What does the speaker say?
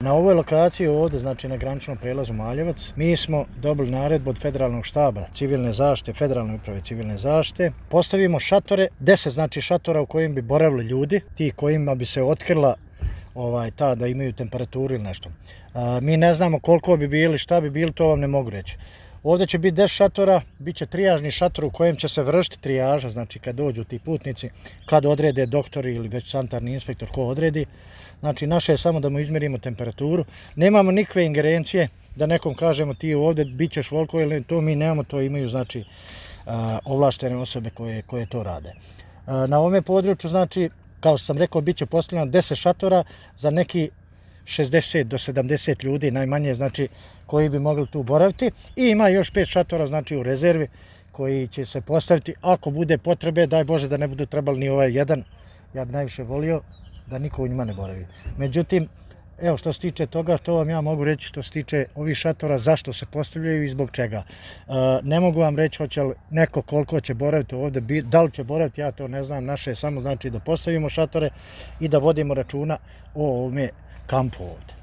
Na ovoj lokaciji ovdje, znači na graničnom prelazu Maljevac, mi smo dobili naredbu od Federalnog štaba civilne zaštite, Federalne uprave civilne zaštite. Postavimo šatore, 10 znači šatora u kojim bi boravili ljudi, ti kojima bi se otkrila ta da imaju temperaturu ili nešto. Mi ne znamo koliko bi bili, šta bi bili, to vam ne mogu reći. Ovdje će biti 10 šatora, bit će trijažni šator u kojem će se vršiti trijaža, znači kad dođu ti putnici, kad odrede doktori ili već sanitarni inspektor ko odredi. Znači naše je samo da mu izmjerimo temperaturu. Nemamo nikakve ingerencije da nekom kažemo ti ovdje bit ćeš voliko ili to mi nemamo, to imaju znači ovlaštene osobe koje to rade. Na ovome području znači, kao što sam rekao, bit će postavljeno 10 šatora za neki 60 do 70 ljudi najmanje, znači koji bi mogli tu boraviti, i ima još 5 šatora znači u rezervi koji će se postaviti ako bude potrebe, daj Bože da ne budu trebali ni ovaj jedan. Ja bi najviše volio da niko u njima ne boravi. Međutim, evo što se tiče toga, to vam ja mogu reći što se tiče ovih šatora, zašto se postavljaju i zbog čega. Ne mogu vam reći hoće li neko koliko će boraviti ovdje, da li će boraviti, ja to ne znam, naše je samo znači da postavimo šatore i da vodimo računa o ovome kampu ovdje.